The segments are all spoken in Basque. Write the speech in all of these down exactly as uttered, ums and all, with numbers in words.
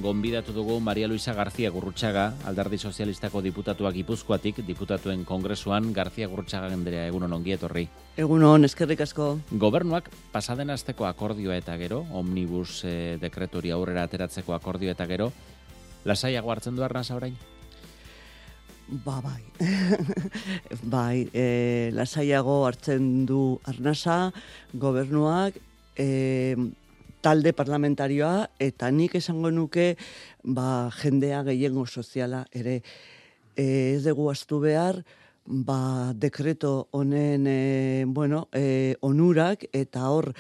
gonbidatu dugu Maria Luisa García Gurrutxaga, Alderdi Sozialistako diputatuak Gipuzkoatik, Diputatuen Kongresuan. García Gurrutxaga Andrea, egunon ongi etorri. Egunon, eskerrik asko. Gobernuak pasaden asteko akordioa eta gero, omnibus eh, dekretori aurrera ateratzeko akordioa eta gero, lasaiago hartzen du Arnasa orain? Ba, bai. bai, e, lasaiago hartzen du Arnasa, gobernuak, e, talde parlamentarioa, eta nik esango nuke ba, jendea gehiengo soziala ere. E, ez dugu astu behar, ba, dekreto honen e, bueno, e, onurak, eta hor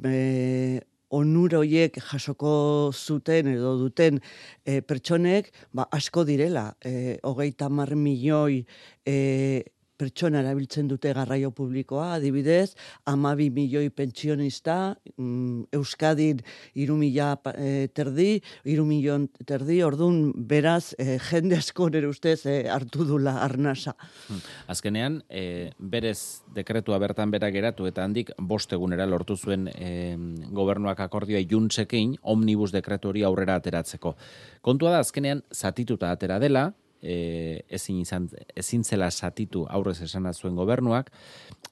e, onura horiek jasoko zuten edo duten e, pertsonek ba, asko direla. E, hogeita hamar milioi e, pertsona erabiltzen dute garraio publikoa, adibidez, hamabi milioi pentsionista, mm, Euskadin hiru mila e, terdi, hiru milioi terdi, ordun beraz, e, jende asko nire ustez e, hartu dula Arnasa. Azkenean, e, berez dekretua bertan bera geratu eta handik bost egunera lortu zuen e, gobernuak akordioa iluntzekin omnibus dekretu hori aurrera ateratzeko. Kontua da, azkenean, zatituta atera dela, E, ezin, izan, ezin zela zatitu aurrez esana zuen gobernuak,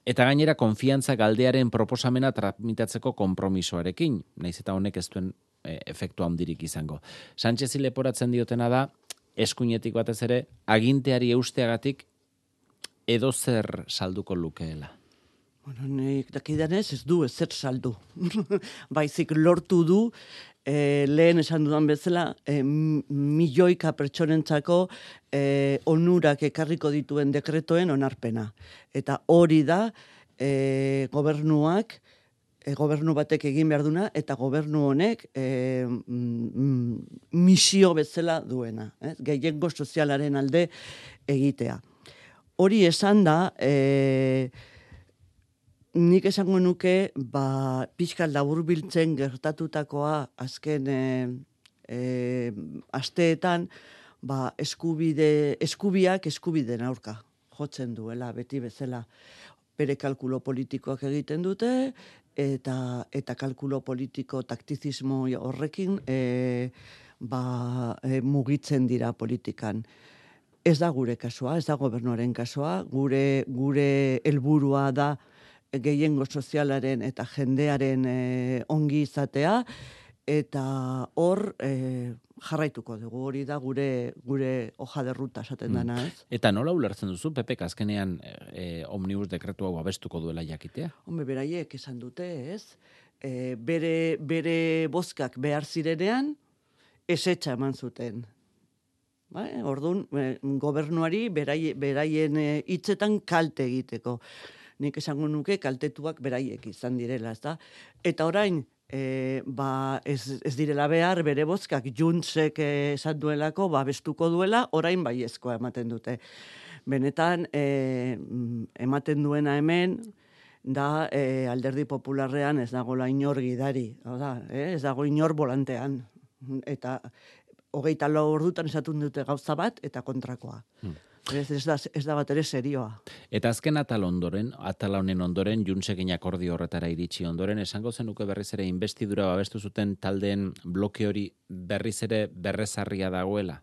eta gainera konfiantza galdearen proposamena tramitatzeko konpromisoarekin, naiz eta honek ez duen e, efektu handirik izango. Sánchezi leporatzen diotena da, eskuinetik batez ere, aginteari eusteagatik edo zer salduko lukeela. Bueno, nik dakidanez ez du ezer saldu. Baizik lortu du, e, lehen esan dudan bezala, e, milioika pertsonentzako e, onurak ekarriko dituen dekretoen onarpena. Eta hori da e, gobernuak, e, gobernu batek egin behar duna, eta gobernu honek e, mm, misio bezala duena. Eh? Gehiengo sozialaren alde egitea. Hori esan da, e, nik esango nuke, ba, pixka laburbiltzen gertatutakoa azken e, e, asteetan, ba, eskubide, eskubiak eskubideen aurka jotzen duela, beti bezala. Bere kalkulo politikoak egiten dute, eta, eta kalkulo politiko taktizismo horrekin e, ba, e, mugitzen dira politikan. Ez da gure kasua, ez da gobernuaren kasua, gure, gure helburua da gehiengo sozialaren eta jendearen e, ongi izatea, eta hor e, jarraituko dugu, hori da gure gure hoja de ruta esaten dana, ez? Eta nola ulertzen duzu, Pepek azkenean e, omnibus dekretu hau abestuko duela jakitea? Hombre, beraiek esan dute, ez? E, bere, bere bozkak behar zirenean, ezetxa eman zuten. Ba, orduan, e, gobernuari berai, beraien hitzetan kalte egiteko. Nik esango nuke kaltetuak beraiek izan direla, ezta? Eta orain, e, ba, ez, ez direla behar, bere bozkak juntzek esan duelako, ba, bestuko duela, orain baiezkoa ematen dute. Benetan, e, ematen duena hemen, da e, Alderdi Popularrean ez dagoela inor gidari, da, eh? Ez dago inor volantean. Eta hogeita lau ordutan esatun dute gauza bat, eta kontrakoa. Hmm. Ez, ez, da, ez da bat ere serioa. Eta azken atal ondoren, atal honen ondoren, Juntzekin akordio horretara iritsi ondoren, esango zenuke berriz ere inbestidura babestu zuten taldeen bloke hori berriz ere berrezarria dagoela?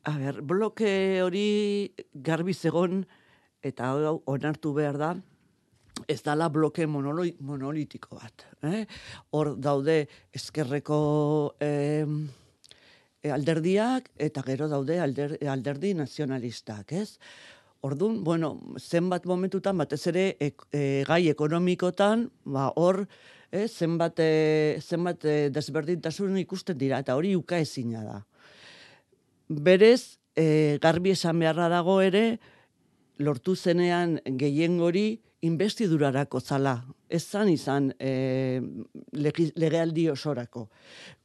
A ber, bloke hori garbi zegon, eta onartu behar da, ez dala bloke monolitiko bat. Eh? Hor daude ezkerreko Eh, alderdiak, eta gero daude alder, alderdi nazionalistak, ez? Orduan, bueno, zenbat momentutan, batez ere, e, e, gai ekonomikotan, ba, hor, eh, zenbat, e, zenbat e, desberdintasun ikusten dira, eta hori uka ezina da. Berez, e, garbi esan beharra dago ere, lortu zenean gehiengori inbestidurarako zala. Ez zan izan e, legealdi osorako.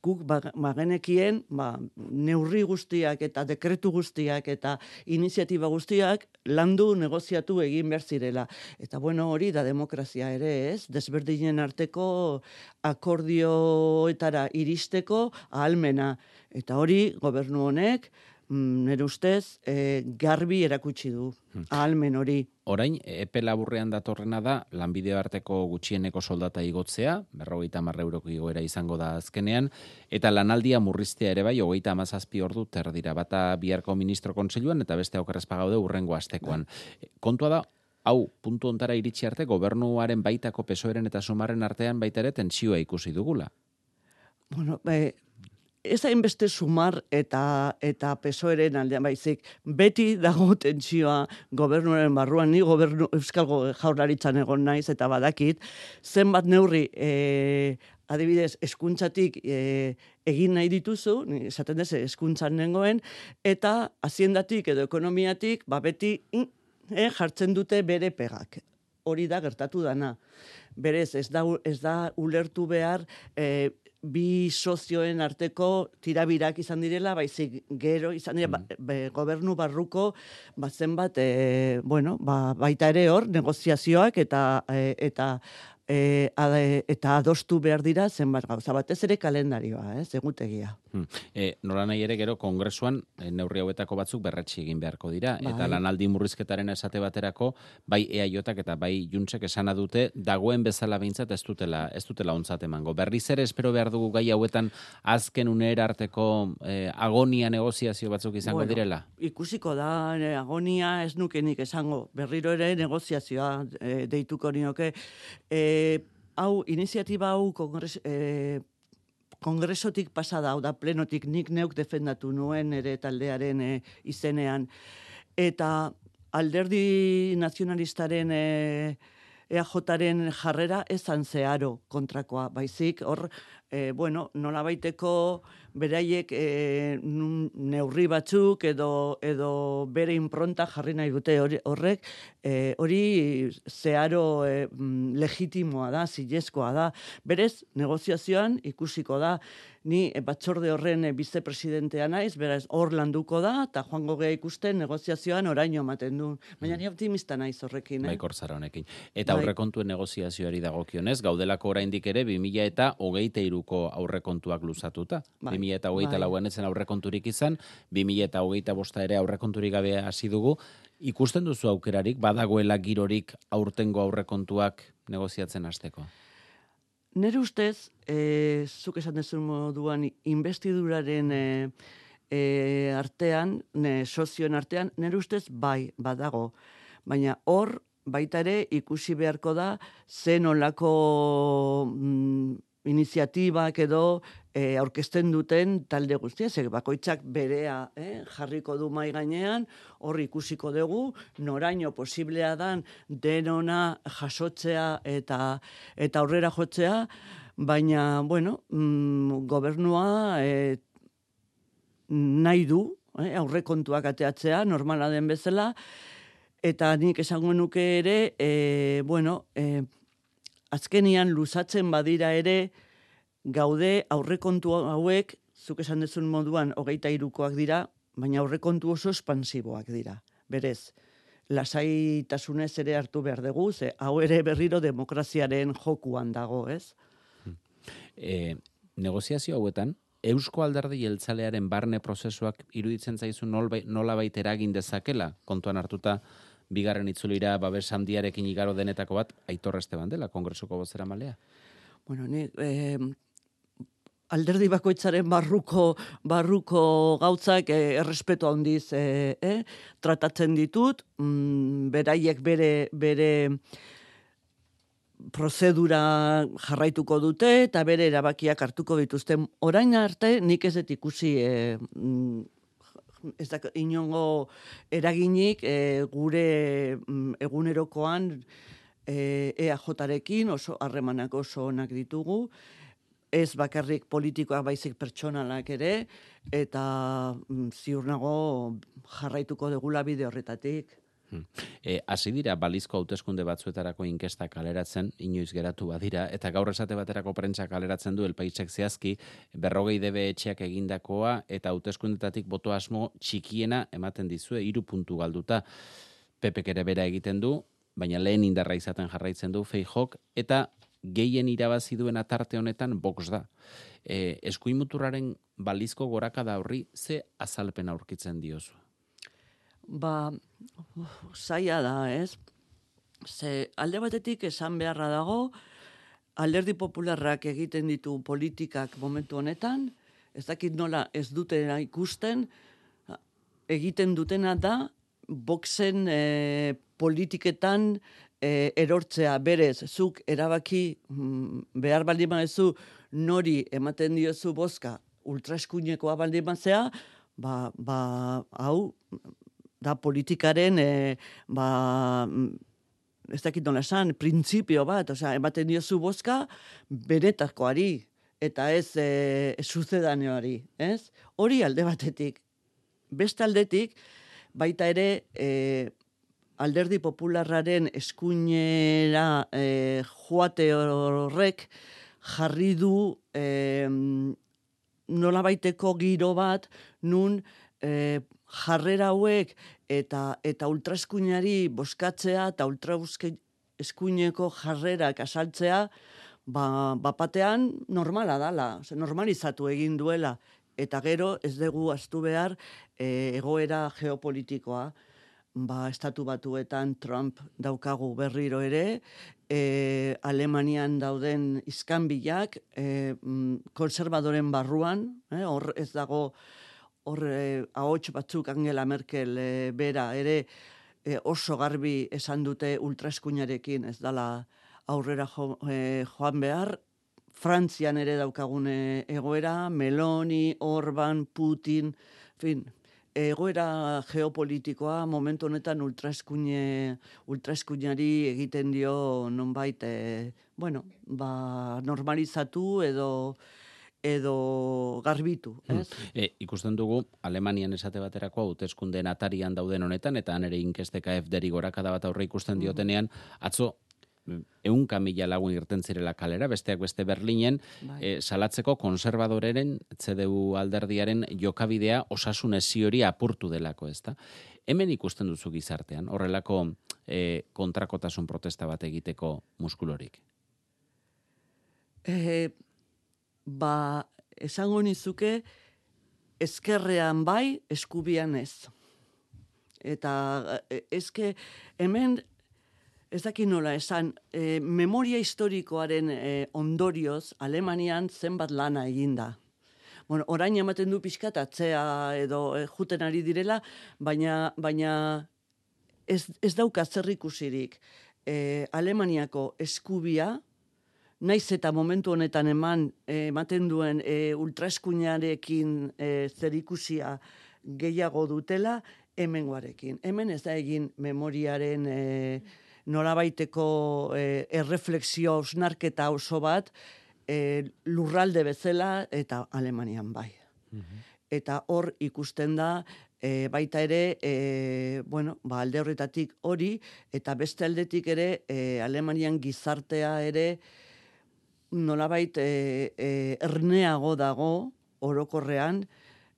Guk bagenekien ba, neurri guztiak eta dekretu guztiak eta iniziatiba guztiak landu negoziatu egin behar zirela. Eta bueno, hori da demokrazia ere, ez? Desberdinen arteko akordioetara iristeko ahalmena. Eta hori gobernu honek mm, nire ustez, e, garbi erakutsi du, ahalmen hori. Orain, epe laburrean datorrena da, lanbide arteko gutxieneko soldata igotzea, berrogeita hamar euroko igoera izango da azkenean, eta lanaldia murriztea ere bai, hogeita hamazazpi ordu terdira, bata biharko ministro kontseiluan, eta beste okerrezpa gaude urrengo astekoan. Kontua da, hau, puntu ontara iritsi arte, gobernuaren baitako pesoeren eta sumarren artean baita ere tentsioa ikusi dugula. Bueno, e, ez hainbeste sumar eta eta pesoeren aldean baizik, beti dago tentsioa gobernuaren barruan, ni gobernu Euskal Jaurlaritzan egon naiz eta badakit, zenbat neurri e, adibidez, eskuntzatik e, egin nahi dituzu, esaten dez, eskuntzan nengoen, eta haziendatik edo ekonomiatik, ba beti e, jartzen dute bere pegak. Hori da gertatu dana. Berez, ez da, ez da ulertu behar e, bi sozioen arteko tirabirak izan direla, baizik gero izan dira, mm. ba, gobernu barruko ba, zenbat, e, bueno, ba, baita ere hor, negoziazioak eta e, eta E, ade, eta adostu behar dira zenbat gauza, batez ere kalendarioa, ez, egutegia. Hmm. E, nola nahi ere gero kongresuan e, neurri hauetako batzuk berretsi egin beharko dira, bai. Eta lanaldi murrizketaren esate baterako bai E A Jak eta bai Juntsek esana dute dagoen bezala behintzat ez dutela ez dutela ontzat emango. Berriz ere espero behar dugu gai hauetan azken unera arteko e, agonia negoziazio batzuk izango bueno, direla? Ikusiko da, e, agonia ez nukenik esango, berriro ere negoziazioa e, deituko nioke, e, hau, iniziatiba hau kongres, eh, kongresotik pasada, hau da plenotik nik neuk defendatu nuen ere taldearen eh, izenean. Eta alderdi nazionalistaren eh, E A Jaren jarrera ezan zeharo kontrakoa, baizik, hor, eh, bueno, nola baiteko beraiek eh, neurri batzuk edo, edo bere impronta jarri nahi dute horrek, eh, hori zeharo eh, legitimoa da, zilezkoa da. Berez, negoziazioan ikusiko da, ni batzorde horren bizepresidentea naiz, beraz, hor landuko da, eta joango geha ikusten negoziazioan oraino ematen du. Baina ni optimista naiz horrekin. Eh? Baikor zara honekin. Eta aurrekontuen negoziazioari dagokionez, gaudelako oraindik ere bi mila eta hogeita hiruko aurrekontuak luzatuta. Bai. bi mila eta hogeita lauan etzen aurrekonturik izan, bi mila eta hogeita bosta ere aurrekonturik gabe hasi dugu. Ikusten duzu aukerarik, badagoela girorik aurtengo aurrekontuak negoziatzen hasteko? Nere ustez, e, zuk esan dezun moduan, investiduraren e, e, artean, ne, sozioen artean, nere ustez bai, badago. Baina hor, baita ere, ikusi beharko da, zen olako mm, iniziatibak edo e, aurkezten duten talde guztia, ze bakoitzak berea eh, jarriko du mai gainean, hor ikusiko dugu, noraino posiblea dan denona jasotzea eta eta aurrera jotzea, baina, bueno, mm, gobernua e, nahi du, eh, aurrekontuak ateatzea, normala den bezala, eta nik esango nuke ere, e, bueno, e, azkenian luzatzen badira ere, gaude aurrekontu hauek, zuk esan dezun moduan, hogeita hirukoak dira, baina aurrekontu oso espansiboak dira. Berez, lasaitasunez ere hartu behar dugu, ze hau ere berriro demokraziaren jokuan dago, ez? E, negoziazio hauetan, Eusko Alderdi Jeltzalearen barne prozesuak iruditzen zaizu nola baita eragin dezakela, kontuan hartuta, bigarren itzulira babes handiarekin igaro denetako bat, Aitor Esteban dela, kongresuko bozera malea? Bueno, ni... Eh, alderdi bakoitzaren barruko barruko gautzak eh, errespetu handiz eh, eh, tratatzen ditut, mm, beraiek bere bere prozedura jarraituko dute eta bere erabakiak hartuko dituzten. Orain arte nik ez dut ikusi eh, ez da inongo eraginik eh, gure mm, egunerokoan eh, E A Jarekin oso harremanak oso onak ditugu. Ez bakarrik politikoak baizik pertsonalak ere, eta mm, ziur nago jarraituko degula bide horretatik. Hmm. E, hasi dira balizko hauteskunde batzuetarako inkesta kaleratzen, inoiz geratu badira, eta gaur esate baterako prentsa kaleratzen du Elpaisek zehazki, berrogei debe etxeak egindakoa, eta hauteskundetatik boto asmo txikiena ematen dizue, hiru puntu galduta. Pepek ere bera egiten du, baina lehen indarra izaten jarraitzen du Feijok, eta gehien irabazi duena tarte honetan Vox da. E, eskuin muturraren balizko gorakada horri ze azalpen aurkitzen diozu? Ba, zaila da, ez? Ze alde batetik esan beharra dago, Alderdi Popularrak egiten ditu politikak momentu honetan, ez dakit nola ez dutena ikusten, egiten dutena da, Voxen e, politiketan e, erortzea berez, zuk erabaki mm, behar baldin badezu nori ematen diozu bozka ultraeskuinekoa baldin bazea, ba, ba, hau, da politikaren, e, ba, ez dakit nola esan, printzipio bat, osea, ematen diozu bozka benetakoari, eta ez e, suzedaneoari, ez? Hori alde batetik. Beste aldetik, baita ere, e, Alderdi Popularraren eskuinera e, joate horrek jarri du e, nolabaiteko giro bat, nun e, jarrera hauek eta eta ultraeskuinari boskatzea eta ultraeskuineko jarrerak asaltzea, ba, bapatean normala dala, normalizatu egin duela, eta gero ez dugu ahaztu behar e, egoera geopolitikoa. Ba, estatu batuetan Trump daukagu berriro ere, e, Alemanian dauden iskanbilak, e, konservadoren barruan, eh, hor ez dago, hor e, ahots batzuk Angela Merkel e, bera ere e, oso garbi esan dute ultraeskuinarekin ez dala aurrera jo, e, joan behar. Frantzian ere daukagune egoera, Meloni, Orban, Putin, fin, egoera geopolitikoa momentu honetan ultraeskuine, ultraeskuinari egiten dio nonbait, e, bueno, ba, normalizatu edo edo garbitu, ez? Hmm. E, ikusten dugu, Alemanian esate baterako hauteskundeen atarian dauden honetan, eta han ere inkesteka F D-ri gorakada bat aurre ikusten diotenean, atzo, ehunka mila lagun irten zirela kalera, besteak beste Berlinen, e, salatzeko konservadoreren, C D U alderdiaren jokabidea osasun hezi hori apurtu delako, ezta? Hemen ikusten duzu gizartean, horrelako e, kontrakotasun protesta bat egiteko muskulorik? E, ba, esango nizuke, ezkerrean bai, eskubian ez. Eta ezke, hemen, ez dakit nola esan, e, memoria historikoaren e, ondorioz, Alemanian zenbat lana eginda. Bueno, orain ematen du pixkat atzea edo e, juten ari direla, baina, baina ez, ez dauka zer ikusirik. E, Alemaniako eskubia, naiz eta momentu honetan eman e, ematen duen e, ultraeskuinarekin e, zer ikusia gehiago dutela, hemengoarekin. Hemen ez da egin memoriaren E, nolabaiteko e, erreflexio ausnarketa oso bat e, lurralde bezala eta Alemanian bai. Mm-hmm. Eta hor ikusten da e, baita ere, e, bueno, ba, alde horretatik hori, eta beste aldetik ere e, Alemanian gizartea ere nolabait e, e, erneago dago orokorrean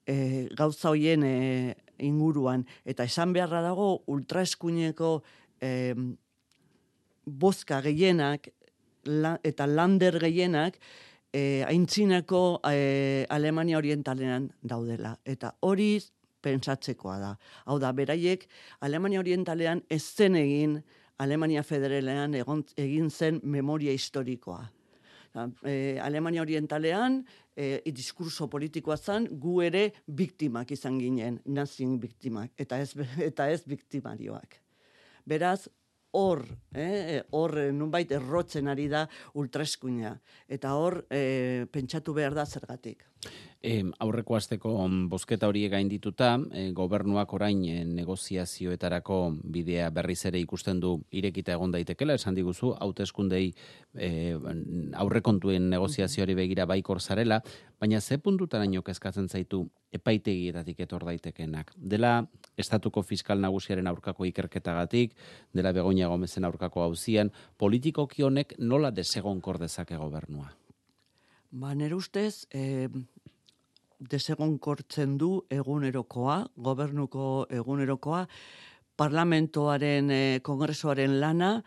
e, gauza hoien e, inguruan. Eta esan beharra dago ultraeskuineko e, bozka gehienak la, eta lander gehienak e, aintzinako e, Alemania orientalean daudela. Eta hori pentsatzekoa da. Hau da, beraiek Alemania orientalean ez zen egin Alemania federalean egon, egin zen memoria historikoa. E, Alemania orientalean e, diskurso politikoa zen, gu ere biktimak izan ginen, nazien biktimak, eta ez, eta ez biktimarioak. Beraz, hor, eh, hor nunbait errotzen ari da ultraeskuina. Eta hor, eh, pentsatu behar da zergatik. E, aurreko asteko bozketa horiek gaindituta, e, gobernuak orain e, negoziazioetarako bidea berriz ere ikusten du irekita egon daitekela, esan diguzu, hauteskundei e, aurrekontuen negoziazioari begira baikor zarela, baina ze puntutaraino kezkatzen zaitu epaitegietatik etor daitekenak? Dela estatuko fiskal nagusiaren aurkako ikerketagatik, dela Begoña Gomezen aurkako auzian, politikoki honek nola desegonkor dezake gobernua? Ba, nire ustez, eh, desegonkortzen du egunerokoa, gobernuko egunerokoa, parlamentoaren, eh, kongresoaren lana,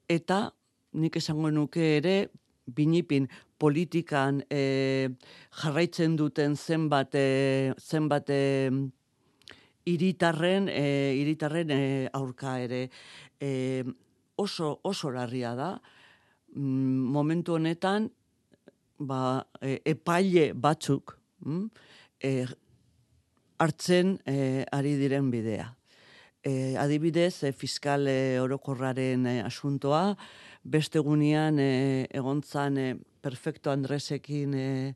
eta nik esango nuke ere, binipin politikan e, jarraitzen duten zenbat, e, zenbat e, iritarren, e, iritarren e, aurka ere. E, oso, oso larria da, mm, momentu honetan, ba, e, epaile batzuk, mm, e, hartzen e, ari diren bidea. E, adibidez, e, fiskal e, orokorraren e, asuntoa, beste gunean e, egontzan e, Perfecto Andresekin e,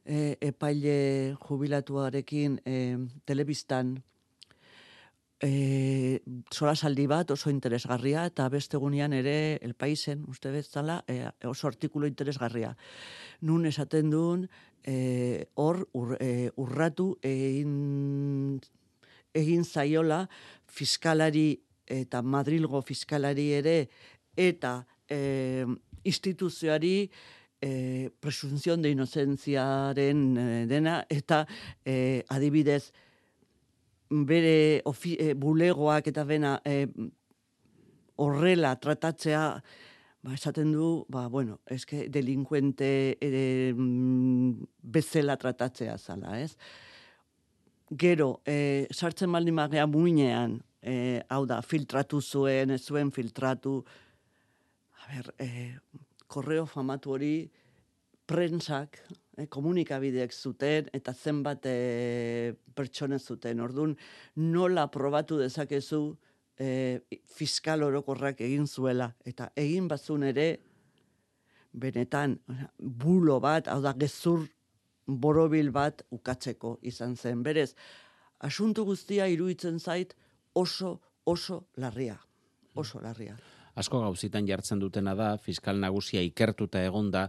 e, epaile jubilatuarekin e, telebistan e, solasaldi bat oso interesgarria, eta beste gunean ere El Paisen, uste bezala, e, oso artikulu interesgarria. Nun esaten duen, e, hor ur, e, urratu egin egin zaiola fiskalari eta Madrilgo fiskalari ere eta e, instituzioari e, presunción de inocentziaren e, dena eta e, adibidez bere ofi, e, bulegoak eta bena e, horrela tratatzea, ba, esaten du, ba, bueno, eske delinkuente e, bezala tratatzea zala, ez? Gero, e, sartzen baldin magea muinean, e, hau da, filtratu zuen, ez zuen filtratu, a ber, e, korreo famatu hori prentsak, e, komunikabideek zuten, eta zenbat e, pertsone zuten. Orduan, nola probatu dezakezu e, fiskal orokorrak egin zuela, eta egin bazun ere, benetan, bulo bat, hau da, gezur borobil bat ukatzeko izan zen. Berez, asunto guztia iruditzen zait oso, oso larria. Oso larria. Asko gauzitan jartzen dutena da, fiskal nagusia ikertuta egonda,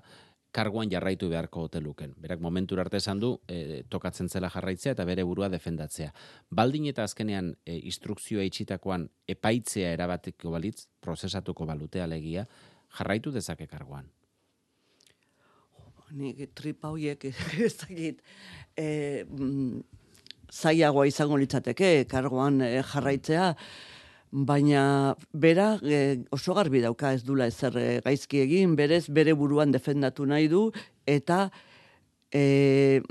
karguan jarraitu beharko oteluken. Berak momentura arte esan du, e, tokatzen zela jarraitzea eta bere burua defendatzea. Baldin eta azkenean e, instrukzioa itxitakoan epaitzea erabateko balitz, prozesatuko balute alegia, jarraitu dezake karguan. Nik tripa horiek ez dakit e, mm, zailagoa izango litzateke kargoan e, jarraitzea, baina bera e, oso garbi dauka ez dula ezer e, gaizki egin, berez bere buruan defendatu nahi du, eta e,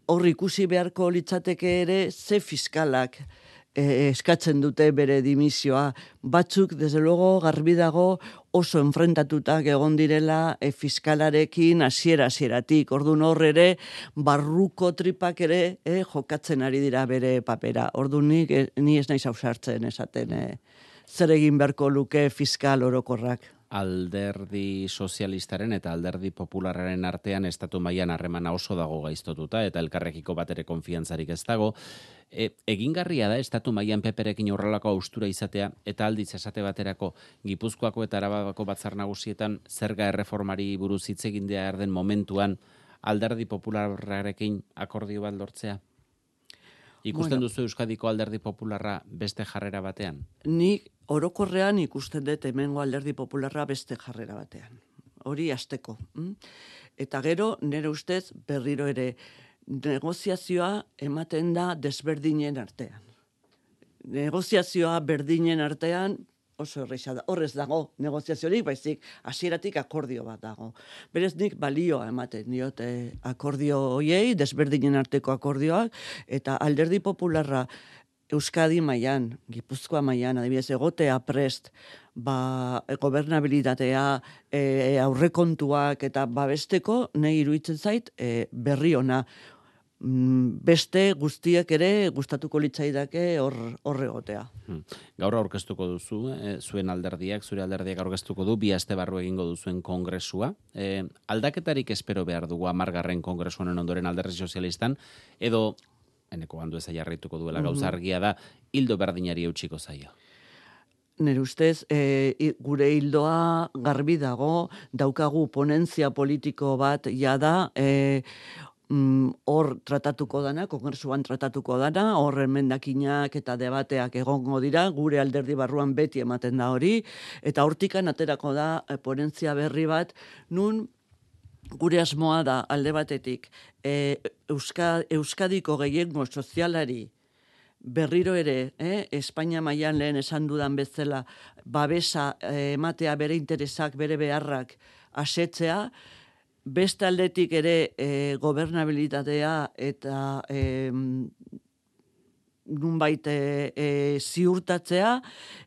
hor ikusi beharko litzateke ere ze fiskalak e, eskatzen dute bere dimisioa. Batzuk, desde luego, garbi dago oso enfrentatutak egon direla e, fiskalarekin hasiera hasieratik. Ordun hor ere barruko tripak ere e, jokatzen ari dira bere papera. Ordun nik e, ni ez naiz ausartzen esaten e, zer egin beharko luke fiskal orokorrak. Alderdi sozialistaren eta alderdi popularraren artean estatu mailan harremana oso dago gaiztotuta eta elkarrekiko bat ere konfiantzarik ez dago. E, egingarria da estatu mailan peperekin horrelako austura izatea eta aldiz esate baterako Gipuzkoako eta Arabako batzar nagusietan zerga erreformari buruz hitz egin behar den momentuan alderdi popularrarekin akordio bat lortzea? Ikusten bueno, duzu Euskadiko alderdi popularra beste jarrera batean? Nik orokorrean ikusten dut hemengo alderdi popularra beste jarrera batean. Hori hasteko. Eta gero, nire ustez, berriro ere, negoziazioa ematen da desberdinen artean. Negoziazioa berdinen artean oso erresa da. Horrez dago negoziaziorik, baizik hasieratik akordio bat dago. Berez nik balioa ematen diot eh, akordio hoiei, desberdinen arteko akordioak, eta alderdi popularra Euskadi mailan, Gipuzkoa mailan, adibidez, egotea prest, ba, gobernabilitatea, e, aurrekontuak eta babesteko, nahi iruditzen zait, e, berri ona. Beste guztiek ere gustatuko litzaidake hor hor egotea. Hmm. Gaur aurkeztuko duzu, eh, zuen alderdiak, zure alderdiak aurkeztuko du, bi aste barru egingo duzuen kongresua. Eh, aldaketarik espero behar dugu hamargarren kongresu honen ondoren alderdi sozialistan, edo, eneko handu eza jarraituko duela gauza argia da, hildo berdinari eutxiko zaio. Nire ustez, e, gure hildoa garbi dago, daukagu ponentzia politiko bat jada, e, hor mm, tratatuko dana, kongresuan tratatuko dana, hor emendakinak eta debateak egongo dira, gure alderdi barruan beti ematen da hori, eta hortikan aterako da e, ponentzia berri bat, nun gure asmoa da alde batetik, e, Euska, Euskadiko gehiengo sozialari berriro ere, eh, Espainia mailan lehen esan dudan bezala, babesa eh, ematea bere interesak, bere beharrak asetzea, beste aldetik ere eh, gobernabilitatea eta eh, nunbait e, e, ziurtatzea,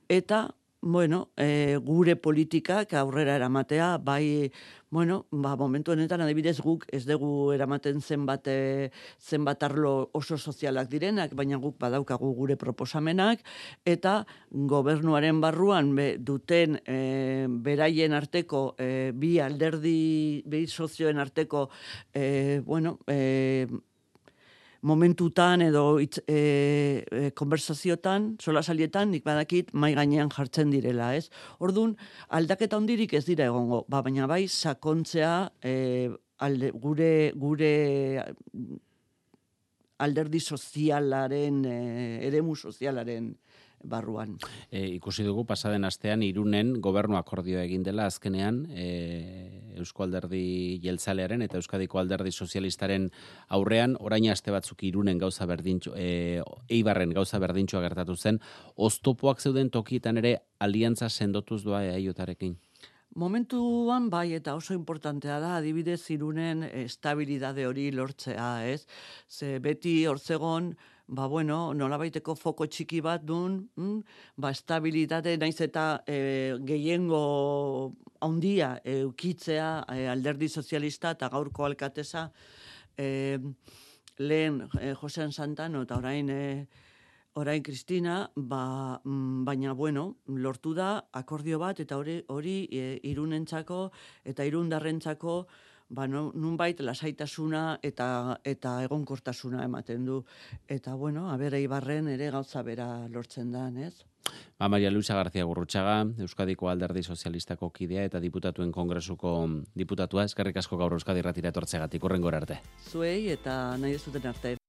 eta bueno, e, gure politikak aurrera eramatea, bai, bueno, ba, momentu honetan adibidez guk ez dugu eramaten zenbat, e, zenbat arlo oso sozialak direnak, baina guk badaukagu gure proposamenak, eta gobernuaren barruan be, duten e, beraien arteko, e, bi alderdi, bi sozioen arteko, e, bueno, e, momentutan edo itz, e, e, konversaziotan, solasalietan, nik badakit mai gainean jartzen direla, ez? Ordun aldaketa hondirik ez dira egongo, ba, baina bai sakontzea e, alde, gure gure alderdi sozialaren, e, eremu sozialaren barruan. E, ikusi dugu pasaden astean Irunen gobernu akordioa egin dela azkenean e, Eusko Alderdi Jeltzalearen eta Euskadiko Alderdi Sozialistaren aurrean, orain aste batzuk Irunen gauza berdintxo, e, Eibarren gauza berdintxoa gertatu zen, oztopoak zeuden tokietan ere aliantza sendotuz doa eaiotarekin? Momentuan bai, eta oso importantea da, adibidez Irunen estabilidade hori lortzea, ez? Ze beti hortzegon, ba bueno, nolabaiteko foko txiki bat dun, mm, ba estabilitate naiz eta e, gehiengo handia eukitzea e, alderdi sozialista eta gaurko alkatesa e, lehen e, Josean Santano eta orain e, orain Kristina, ba, mm, baina bueno, lortu da akordio bat eta hori hori e, Irunentzako eta Irundarrentzako ba, no, nunbait lasaitasuna eta eta egonkortasuna ematen du. Eta bueno, aber Eibarren ere gauza bera lortzen da, ez? Ba, Maria Luisa García Gurrutxaga, Euskadiko Alderdi Sozialistako kidea eta diputatuen kongresuko diputatua, eskerrik asko gaur Euskadi Irratira etortzegatik, hurrengora arte. Zuei eta nahi duzuten arte.